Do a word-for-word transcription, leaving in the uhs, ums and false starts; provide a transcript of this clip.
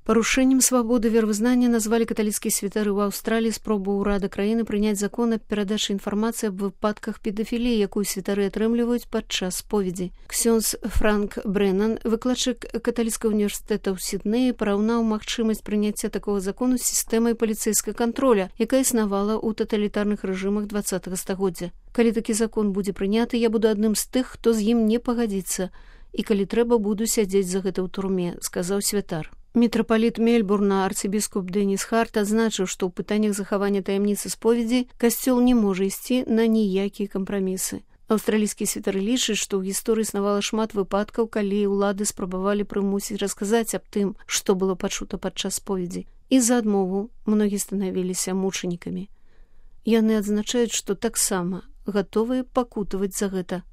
Парушэннем свабоды веравызнання назвалі каталіцкія святары ў Аўстраліі спробу ўрада краіны прыняць закон аб перадачы інфармацыі аб выпадках педафіліі, якую святары атрымліваюць падчас споведзі. Ксёндз Франк Брэннан, выкладчык каталіцкага універсітэта ў Сіднеі, параўнаў магчымасць прыняцця такога закону з сістэмай паліцэйскага кантроля, якая існавала ў таталітарных рэжымах дваццатага стагоддзя. Калі такі закон будзе прыняты, я буду адным з тых, хто з ім не пагадзіцца, і калі трэба, буду сядзець за гэта ў турме, сказаў святар. Мітрапаліт Мельбурна арцыбіскуп Дэніс Харт адзначыў, што ў пытаннях захавання таямніцы споведзі касцёл не можа ісці на ніякія кампрамісы. Аўстралійскія святары лічаць, што ў гісторыі існавала шмат выпадкаў, калі ўлады спрабавалі прымусіць расказаць аб тым, што было пачута падчас споведзі. І за адмову многія станавіліся мучанікамі. Яны адзначаюць, што таксама гатовыя пакутаваць за гэта.